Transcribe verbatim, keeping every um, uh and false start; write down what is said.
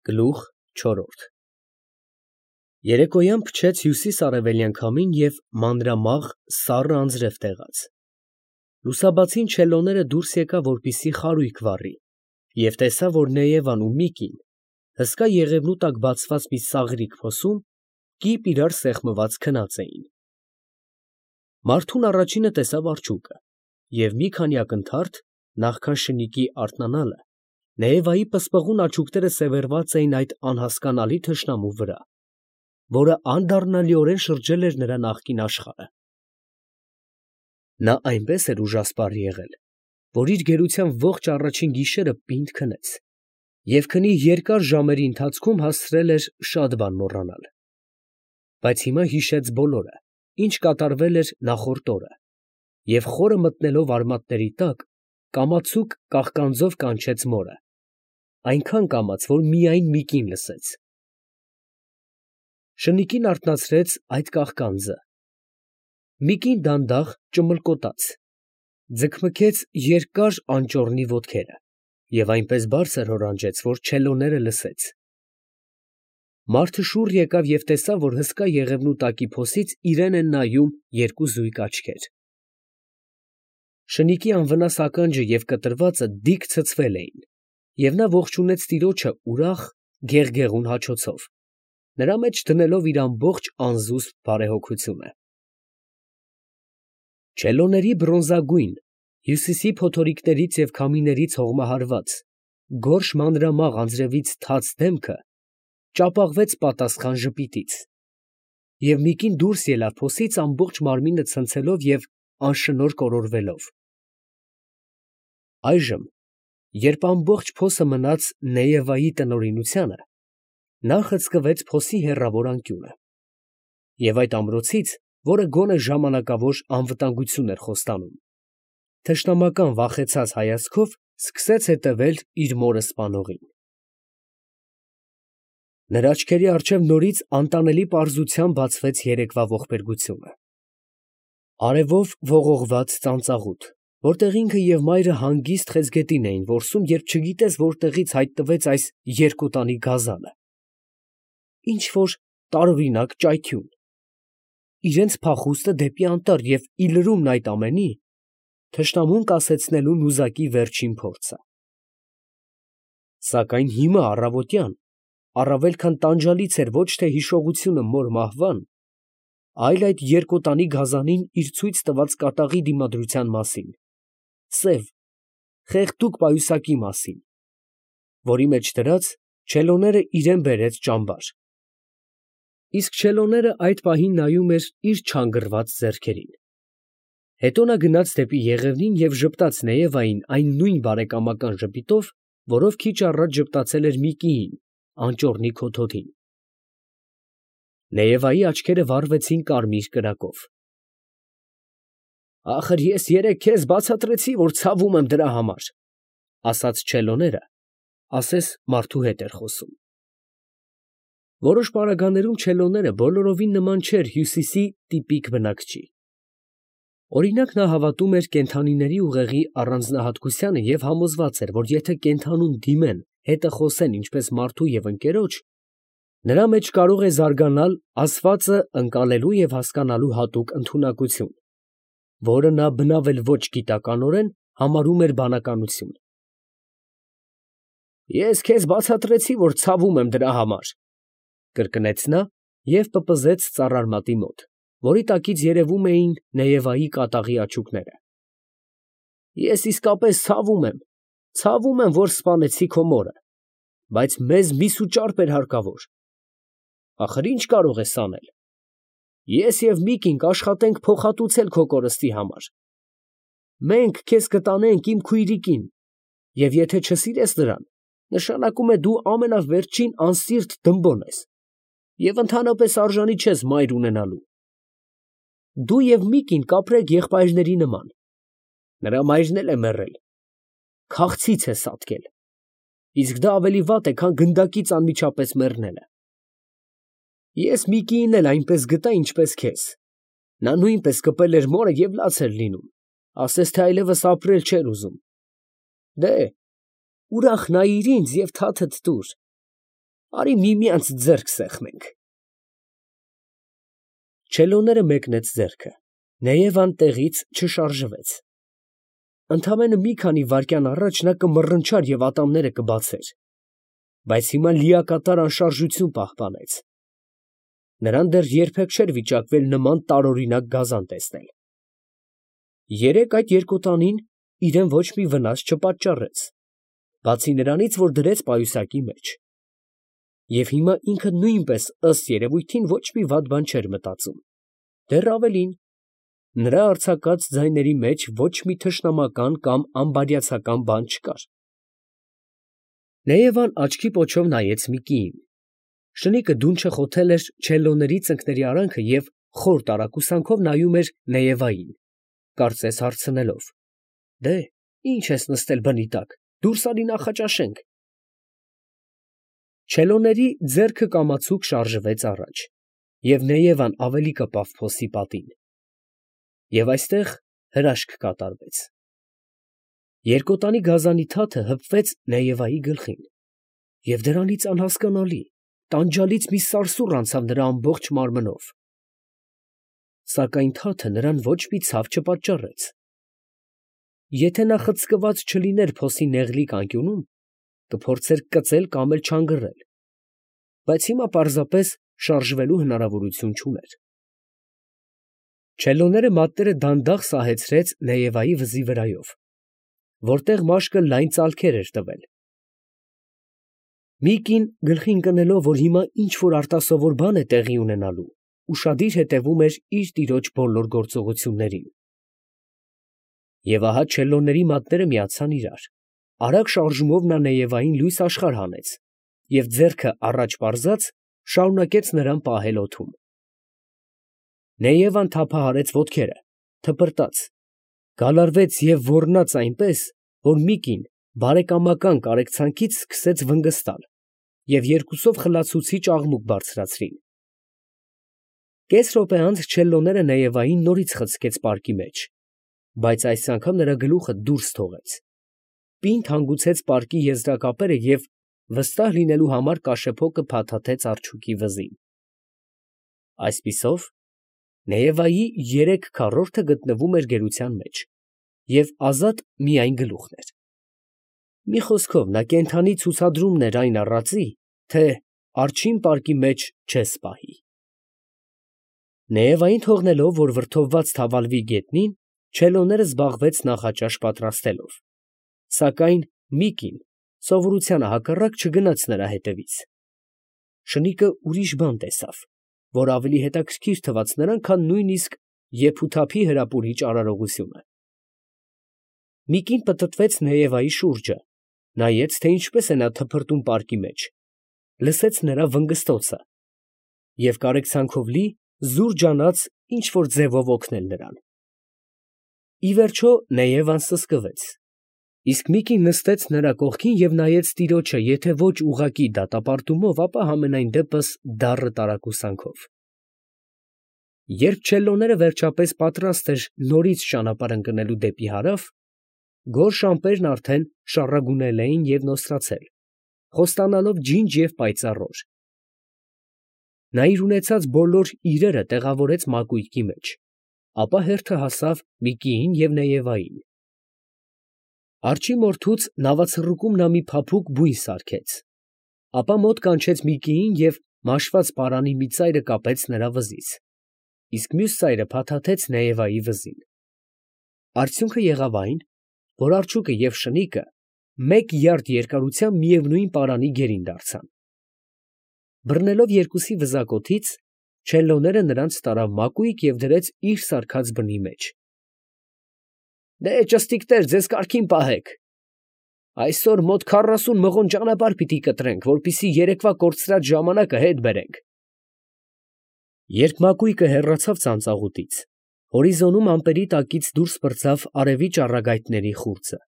Գլուխ չորրորդ Երեկոյան փչեց հյուսիս֊արևելյան քամին և մանրամաղ, սառը անձրև տեղաց. լուսաբացին չելոները դուրս եկավ, որպեսզի խարույկ վառի, և տեսավ, որ Նեևան ու Միկին հսկա եղևնու տակ բացված մի սաղրիկ փոսում կիպ իրար սեղմված քնած էին. Մարդուն առաջինը տեսավ արջուկը, և մի քանի ակնթարթ, նախքան շնիկի արթնանալը, Նեևայի պսպղուն աչուկները սևեռված էին այդ անհասկանալի թշնամու վրա, որը անդառնալիորեն շրջել էր նրա նախկին աշխարհը. նա այնպես էր ուժասպառ եղել, որ իր գերության ողջ առաջին գիշերը պինդ քնեց և քնի երկար ժամերի ընթացքում հասցրել էր շատ բան մոռանալ. բայց հիմա հիշեց բոլորը, ինչ կատարվել էր նախորդ օրը, և խորը մտնելով արմատների տակ, կամացուկ կաղկանձով կանչեց մորը, այնքան կամաց, որ միայն Միկին լսեց. շնիկին արթնացրեց այդ կաղկանձը. Միկին դանդաղ ճմլկոտաց, ձգմքեց երկար անճոռնի ոտքերը և այնպես բարձր հորանջեց, որ չելոները լսեց. մարդը շուռ եկավ և տեսավ, որ հսկա եղևնու տակի փոսից իրան են նայում երկու զույգ աչքեր. շնիկի անվնաս ականջը և կտրվածը դիկ ցցվել էին, և նա ողջունեց տիրոջը ուրախ, գեղգեղուն հաչոցով, նրա մեջ դնելով իր ամբողջ անզուսպ բարեհոգությունը։ Չելոների բրոնզագույն, հյուսիսի փոթորիկներից և քամիներից հողմահարված, գորշ մանրամաղ անձրևից թաց դեմքը ճապաղվեց պատասխան ժպիտից, և Միկին դուրս ելավ փոսից ամբողջ մարմինը ցնցելով և անշնոր կորորվելով։ Այժմ, երբ ամբողջ փոսը մնաց Նեևայի տնօրինությանը, նա խցկվեց փոսի հեռավոր անկյունը և այդ ամրոցից, որը գոնե ժամանակավոր անվտանգություն էր խոստանում, թշնամական վախեցած հայացքով սկսեց հետևել իր մորը սպանողին։ Նրա աչքերի առջև նորից անտանելի պարզությամբ բացվեց երեկվա ողբերգությունը. արևով ողողված ծանծաղուտ, որտեղ ինքը և մայրը հանգիստ խեցգետին էին որսում, երբ չգիտես որտեղից հայտնվեց այս երկոտանի գազանը, ինչ֊որ տարօրինակ ճայթյուն, իրենց փախուստը դեպի անտառ և ի լրումն այդ ամենի, թշնամուն կասեցնելու նուզակի վերջին փորձը։ Սակայն հիմա առավոտյան առավել քան տանջալից էր ոչ թե հիշողությունը մոր մահվան, այլ այդ երկոտանի գազանին իր ցույց տված կատաղի դիմադրության մասին, սև, խեղդուկ պայուսակի մասին, որի մեջ դրած չելոները իրան բերեց ճամբար, իսկ չելոները այդ պահին նայում էր իր չանգռված ձեռքերին։ Հետո նա գնաց դեպի եղևնին և ժպտաց Նեևային այն նույն բարեկամական ժպիտով, որով քիչ առաջ ժպտացել էր Միկիին անճոռնի քոթոթին։ Նեևայի աչքերը վառվեցին կարմիր կրակով։ Ախր ես երեկ քեզ բացատրեցի, որ ցավում եմ դրա համար, ասաց չելոները, ասես մարդու հետ էր խոսում։ Որոշ պարագաներում չելոները բոլորովին նման չէր հյուսիսի տիպիկ բնակչի։ Օրինակ, նա հավատում էր կենդանիների ուղեղի առանձնահատկությանը և համոզված էր, որ եթե կենդանուն դիմեն, հետը խոսեն ինչպես մարդու և ընկերոջ, նրա մեջ կարող է զարգանալ ասվածը ընկալելու և հասկանալու հատուկ ընդունակություն, որը նա բնավ էլ ոչ գիտականորեն համարում էր բանականություն։ Ես քեզ բացատրեցի, որ ցավում եմ դրա համար, կրկնեց նա և պպզեց ծառարմատի մոտ, որի տակից երևում էին Նեևայի կատաղի աչուկները։ Ես իսկապես ցավում եմ, ցավում եմ, որ սպանեցի քո մորը, բայց մեզ մի սուճարպ էր հարկավոր։ Ախր ի՞նչ կարող ես անել։ Ես և Միկին կաշխատենք փոխհատուցել քո կորստի համար։ Մենք քեզ կտանենք իմ քույրիկին, և եթե չսիրես նրան, նշանակում է դու ամենավերջին անսիրտ դմբոն ես և ընդհանրապես արժանի չես մայր ունենալու։ Դու և Միկին կապրեք եղբայրների նման, նրա մայրն էլ է մեռել, քաղցից է սատկել, իսկ դա ավելի վատ է, քան գնդակից անմիջապես մեռնելը։ Ես Միկիին էլ այնպես գտա, ինչպես քեզ, նա նույնպես կպել էր մորը և լաց էր լինում, ասես թե այլևս ապրել չէր ուզում։ Դե՛հ, ուրախ նայիր ինձ և թաթդ տուր։ Արի միմյանց ձեռք սեղմենք։ Չելոները մեկնեց ձեռքը, Նեևան տեղից չշարժվեց։ Ընդամենը մի քանի վայրկյան առաջ նա կմռնչար և ատամները կբացեր, բայց հիմա լիակատար անշարժություն պահպանեց։ Նրան դեռ երբեք չէր վիճակվել նման տարօրինակ գազան տեսնել։ Երեկ այդ երկոտանին իրան ոչ մի վնաս չպատճառեց, բացի նրանից, որ դրեց պայուսակի մեջ։ Եվ հիմա ինքը նույնպես, ըստ երևույթին, ոչ մի վատ բան չէր մտածում, դեռ ավելին, նրա արձակած ձայների մեջ ոչ մի թշնամական կամ անբարյացակամ բան չկար։ Նեևան աչքի պոչով նայեց Միկիին։ Շնիկը դունչը խոթել էր չելլոների ծնկների արանքը և խոր տարակուսանքով նայում էր Նեևային, կարծես հարցնելով. «Դե, ի՞նչ ես նստել բնի տակ, դուրս արի նախաճաշենք»։ Չելլոների ձեռքը կամացուկ շարժվեց առաջ, և Նեևան ավելի կպավ փոսի պատին։ Եվ այստեղ հրաշք կատարվեց։ Երկոտանի գազանի թաթը հպվեց Նեևայի գլխին, և դրանից անհասկանալի, տանջալից մի սարսուռ անցավ նրա ամբողջ մարմնով։ Սակայն թաթը նրան ոչ մի ցավ չպատճառեց։ Եթե նա խցկված չլիներ փոսի նեղլիկ անկյունում, կփորձեր կծել կամ էլ չանգռել, բայց հիմա պարզապես շարժվելու հնարավորություն չուներ։ Չելլոները մատները դանդաղ սահեցրեց Նեևայի վզի վրայով, որտեղ մաշկը լայն ծալքեր էր տվել։ Միկին, գլխին ընկնելով, որ հիմա ինչ֊որ արտասովոր բան է տեղի ունենալու, ուշադիր հետևում էր իր տիրոջ բոլոր գործողություններին։ Եվ ահա չելլոների մատները միացան իրար, արագ շարժումով նա Նեևային լույս աշխարհ հանեց և ձեռքը առաջ պարզած շարունակեց նրան պահել օդում։ Նեևան թափահարեց ոտքերը, թպրտաց, գալարվեց և ոռնաց այնպես, որ Միկին բարեկամական կարեկցանքից սկսեց վնգստալ և երկուսով խլացուցիչ աղմուկ բարձրացրին։ Կես րոպե անց չելլոները Նեևային նորից խցկեց պարկի մեջ, բայց այս անգամ նրա գլուխը դուրս թողեց, պինդ հանգուցեց պարկի եզրակապերը և վստահ լինելու համար կաշեփոկը փաթաթեց արջուկի վզին։ Այսպիսով, Նեևայի երեք քառորդը գտնվում էր գերության մեջ, և ազատ միայն գլուխն էր։ Մի խոսքով, նա կենդանի ցուցադրումն էր այն առածի, թե առաջին պարկի մեջ չես պահի։ Նեևային թողնելով, որ վրդովված թավալվի գետնին, չելլոները զբաղվեց նախաճաշ պատրաստելով, սակայն Միկին սովորությանը հակառակ չգնաց նրա հետևից։ Շնիկը ուրիշ բան տեսավ, որ ավելի հետաքրքիր թվաց նրան, քան նույնիսկ եփութափի հրապուրիչ արարողությունը։ Միկին պտտվեց Նեևայի շուրջը, նայեց, թե ինչպես է նա թփրտում պարկի մեջ, լսեց նրա վնգստոցը և կարեկցանքով լի զուր ջանաց ինչ֊որ ձևով օգնել նրան։ Ի վերջո Նեևան սսկվեց, իսկ Միկին նստեց նրա կողքին և նայեց տիրոջը եթե ոչ ուղղակի դատապարտումով, ապա համենայն դեպս դառը տարակուսանքով։ Երբ չելլոները վերջապես պատրաստ էր նորից ճանապարհ ընկնելու դեպի հարավ, գորշ ամպերն արդեն շառագունել էին և նոսրացել, խոստանալով ջինջ և պայծառ օր։ Նա իր ունեցած բոլոր իրերը տեղավորեց մակույկի մեջ, ապա հերթը հասավ Միկիին և Նեևային։ Արջի մորթուց նավացռուկում նա մի փափուկ բույն սարքեց, ապա մոտ կանչեց Միկիին և մաշված պարանի մի ծայրը կապեց նրա վզից, իսկ մյուս ծայրը փաթաթեց Նեևայի վզին։ Արդյունքը եղավ այն, որ արջուկը և շնիկը մեկ յարդ երկարությամբ միևնույն պարանի գերին դարձան։ Բռնելով երկուսի վզակոթից, չելլոները նրանց տարավ մակույկ և դրեց իր սարքած բնի մեջ։ Դե, ճշտիկներ, ձեզ կարգին պահեք. այսօր մոտ քառասուն մղոն ճանապարհ պիտի կտրենք, որպեսզի երեկվա կորցրած ժամանակը հետ բերենք։ Երբ մակույկը հեռացավ ծանծաղուտից, հորիզոնում ամպերի տակից դուրս պրծավ արևի ճառագայթների խուրձը։